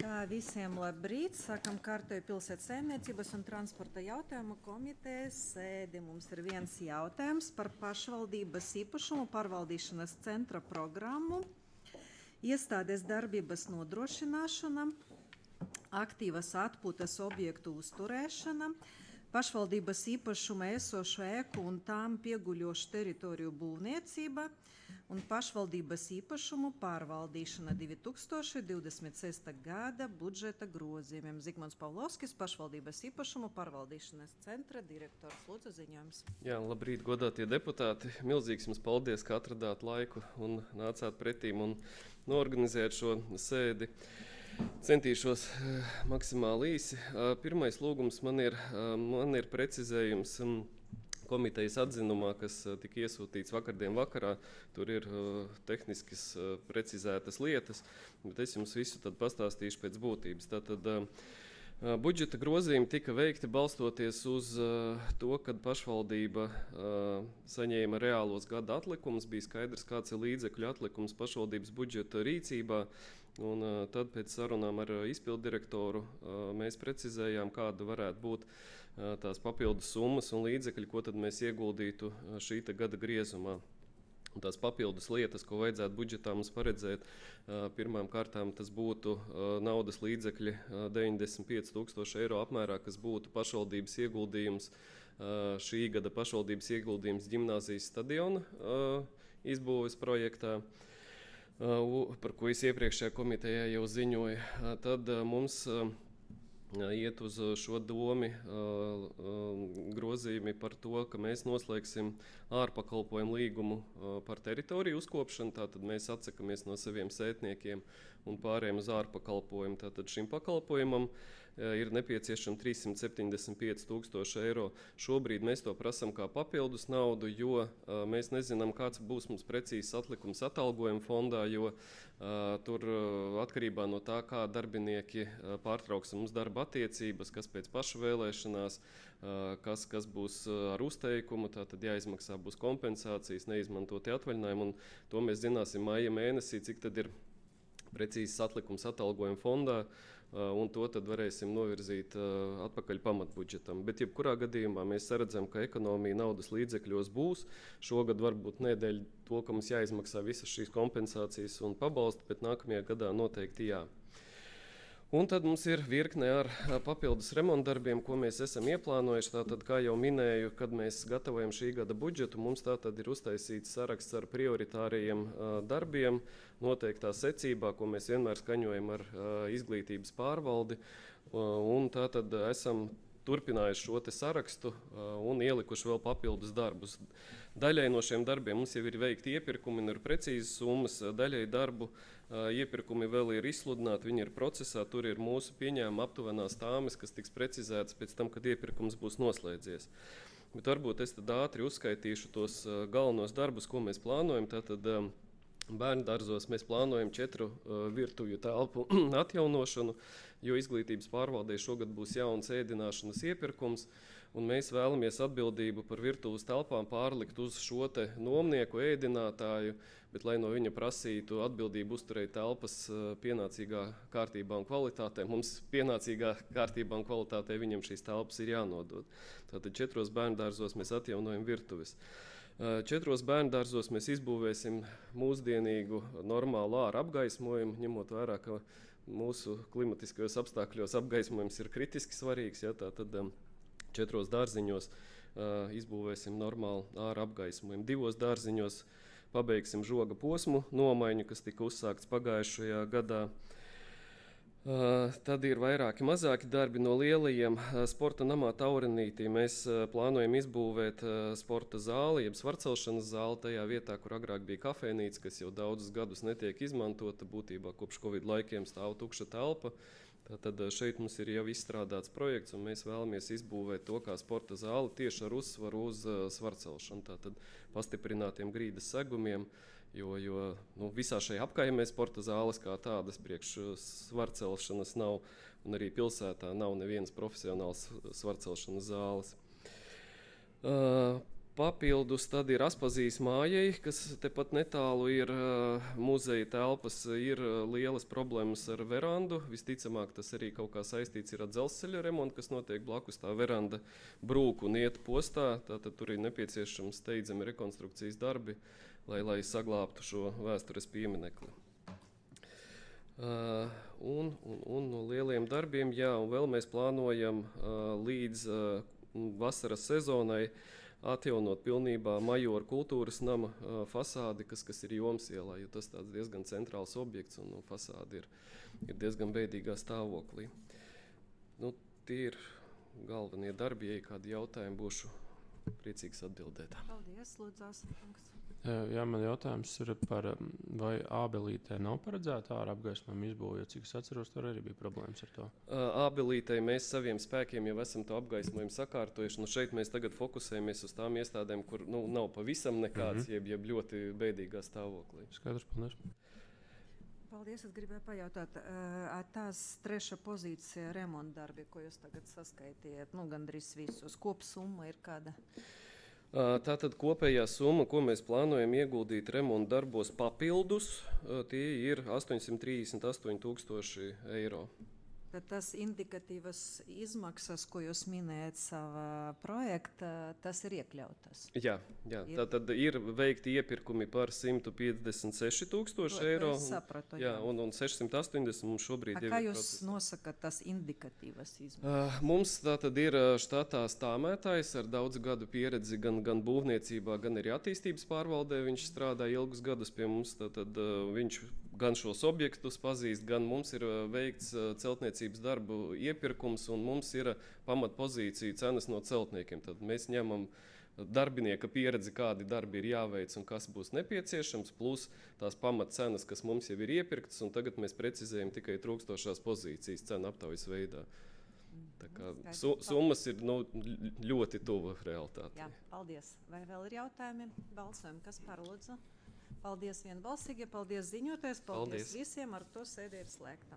Tā visiem labrīt. Sākam kārtēju pilsētas saimniecības un transporta jautājumu komitejas sēdi. Mums ir viens jautājums par pašvaldības īpašumu pārvaldīšanas centra programmu, iestādes darbības nodrošināšana, aktīvas atpūtas objektu uzturēšana, pašvaldības īpašuma esošo ēku un tām pieguļošu teritoriju būvniecība un pašvaldības īpašumu pārvaldīšana 2026. gada budžeta grozījumiem. Zigmunds Pavlovskis, pašvaldības īpašumu pārvaldīšanas centra direktors. Lūdzu, ziņojums. Jā, labrīt, godātie deputāti. Milzīgs jums paldies, ka atradāt laiku un nācāt pretīm un norganizēt šo sēdi. Centīšos maksimāli īsi. Pirmais lūgums man ir precizējums komitejas atzinumā, kas tika iesūtīts vakardien vakarā. Tur ir tehniskas precizētas lietas, bet es jums visu tad pastāstīšu pēc būtības. Tātad budžeta grozījumi tika veikti balstoties uz to, kad pašvaldība saņēma reālos gada atlikumus, bija skaidrs, kāds ir līdzekļu atlikums pašvaldības budžeta rīcībā, un tad pēc sarunām ar izpildu direktoru mēs precizējām, kāda varētu būt tās papildus summas un līdzekļi, ko tad mēs ieguldītu šī gada griezumā. Un tās papildus lietas, ko vajadzētu budžetā mums paredzēt, pirmām kārtām tas būtu naudas līdzekļi 95,000 eiro apmērā, kas būtu pašvaldības ieguldījums, šī gada pašvaldības ieguldījums ģimnāzijas stadiona izbūves projektā, par ko es iepriekšējā komitejā jau ziņoju. Tad mums iet uz šo domi grozījumi par to, ka mēs noslēgsim ārpakalpojumu līgumu par teritoriju uzkopšanu. Tātad mēs atsakamies no saviem sētniekiem un pārējām uz ārpakalpojumu. Tātad šim pakalpojumam ir nepieciešami 375,000 eiro. Šobrīd mēs to prasam kā papildus naudu, jo mēs nezinām, kāds būs mums precīzs atlikums atalgojuma fondā, jo tur atkarībā no tā, kā darbinieki pārtrauks mums darba attiecības, kas pēc paša vēlēšanās, kas būs ar uzteikumu, tātad jāizmaksā būs kompensācijas, neizmantoti atvaļinājumi, un to mēs zināsim maija mēnesī, cik tad ir precīzs atlikums atalgojuma fondā, un to tad varēsim novirzīt atpakaļ pamatbudžetam. Bet jebkurā gadījumā mēs saredzam, ka ekonomija naudas līdzekļos būs. Šogad varbūt nedēļ to, ka mums jāizmaksā visas šīs kompensācijas un pabalsti, bet nākamajā gadā noteikti jā. Un tad mums ir virkne ar papildus remontdarbiem, ko mēs esam ieplānojuši. Tātad, kā jau minēju, kad mēs gatavojam šī gada budžetu, mums tātad ir uztaisīts saraksts ar prioritāriem darbiem, noteiktā secībā, ko mēs vienmēr skaņojam ar izglītības pārvaldi. Un tātad esam turpinājuši šo te sarakstu un ielikuši vēl papildus darbus. Daļai no šiem darbiem mums jau ir veikti iepirkumi un ir precīzas summas, daļai darbu iepirkumi vēl ir izsludināti, viņi ir procesā, tur ir mūsu pieņēmuma aptuvenās tāmes, kas tiks precizētas pēc tam, kad iepirkums būs noslēdzies. Bet varbūt es tad ātri uzskaitīšu tos galvenos darbus, ko mēs plānojam. Tātad bērnu dārzos mēs plānojam 4 virtuvju telpu atjaunošanu, jo izglītības pārvaldē šogad būs jauns ēdināšanas iepirkums, un mēs vēlamies atbildību par virtuves telpām pārlikt uz šo te nomnieku ēdinātāju, bet lai no viņa prasītu atbildību uzturēt telpas pienācīgā kārtībā un kvalitātē, mums pienācīgā kārtībā un kvalitātē viņam šīs telpas ir jānodod. Tātad 4 bērnu dārzos mēs atjaunojam virtuves. 4 bērnu dārzos mēs izbūvēsim mūsdienīgu normālu āra apgaismojumu, ņemot vērā, ka mūsu klimatiskajos apstākļos apgaismojums ir kritiski svarīgs. Ja, tātad 4 dārziņos izbūvēsim normālu āra apgaismojumu. 2 dārziņos pabeigsim žoga posmu nomaiņu, kas tika uzsākts pagājušajā gadā. Tad ir vairāki mazāki darbi no lielajiem. Sporta namā Taurenītī mēs plānojam izbūvēt sporta zāli, jeb svarcelšanas zāli tajā vietā, kur agrāk bija kafejnīca, kas jau daudzus gadus netiek izmantota. Būtībā kopš Covid laikiem stāv tukša telpa. Tad šeit mums ir jau izstrādāts projekts, un mēs vēlamies izbūvēt to kā sporta zāli tieši ar uzsvaru uz svarcelšanu. Tātad pastiprinātiem grīdas segumiem, jo visā šajā apkaimē sporta zāles kā tādas priekš svarcelšanas nav, un arī pilsētā nav nevienas profesionāls svarcelšanas zāles. Papildus tad ir Aspazijas mājai, kas tepat netālu ir muzeja telpas, ir lielas problēmas ar verandu. Visticamāk, tas arī kaut kā saistīts ir ar dzelzceļa remontu, kas notiek blakus. Tā veranda brūk un iet postā, tātad tur ir nepieciešams steidzami rekonstrukcijas darbi, lai saglābtu šo vēstures pieminekli. Un no lieliem darbiem, jā, un vēl mēs plānojam līdz vasaras sezonai atjaunot pilnībā Majoru kultūras nama fasādi, kas ir Jomas ielā, jo tas tāds diezgan centrāls objekts un fasādi ir diezgan bēdīgā stāvoklī. Nu, tie ir galvenie darbi, ja kādi jautājumi būšu priecīgs atbildēt. Paldies, lūdzu, Āsarkungs. Jā, man jautājums ir par, vai Ābelītē nav paredzēta ārā apgaismojuma izbūve, jo cik es atceros, tur arī bija problēmas ar to. Ābelītē mēs saviem spēkiem jau esam to apgaismojumu sakārtojuši. Nu, šeit mēs tagad fokusējamies uz tām iestādēm, kur nav pavisam nekāds, jeb ļoti bēdīgā stāvoklī. Skaidrs, paldies. Paldies, es gribēju pajautāt, tās 3. pozīcija remontdarbi, ko jūs tagad saskaitījāt, gandrīz visus, kopsumma ir kāda? Tātad kopējā summa, ko mēs plānojam ieguldīt remontu darbos papildus, tie ir 838,000 eiro. Tad tas indikatīvas izmaksas, ko jūs minējat savā projektā, tas ir iekļautas? Jā. Tātad ir veikti iepirkumi par 156,000 eiro. Es sapratu, jā. Un 680 mums šobrīd kā jūs nosakat tas indikatīvas izmaksas? Mums tātad ir štatā stāmētājs ar daudz gadu pieredzi gan būvniecībā, gan arī attīstības pārvaldē. Viņš strādā ilgus gadus pie mums, tātad viņš gan šos objektus pazīst, gan mums ir veikts celtniecības darbu iepirkums, un mums ir pamatpozīcija cenas no celtniekiem. Tad mēs ņemam darbinieka pieredzi, kādi darbi ir jāveic un kas būs nepieciešams, plus tās pamatcenas, kas mums jau ir iepirktas, un tagad mēs precizējam tikai trūkstošās pozīcijas cenu aptaujas veidā. Tā kā summas ir ļoti tuva realitātei. Jā, paldies. Vai vēl ir jautājumi? Balsojam, kas par lūdzu? Paldies vienbalsīgi, paldies ziņotājs, paldies visiem, ar to sēde ir slēgta.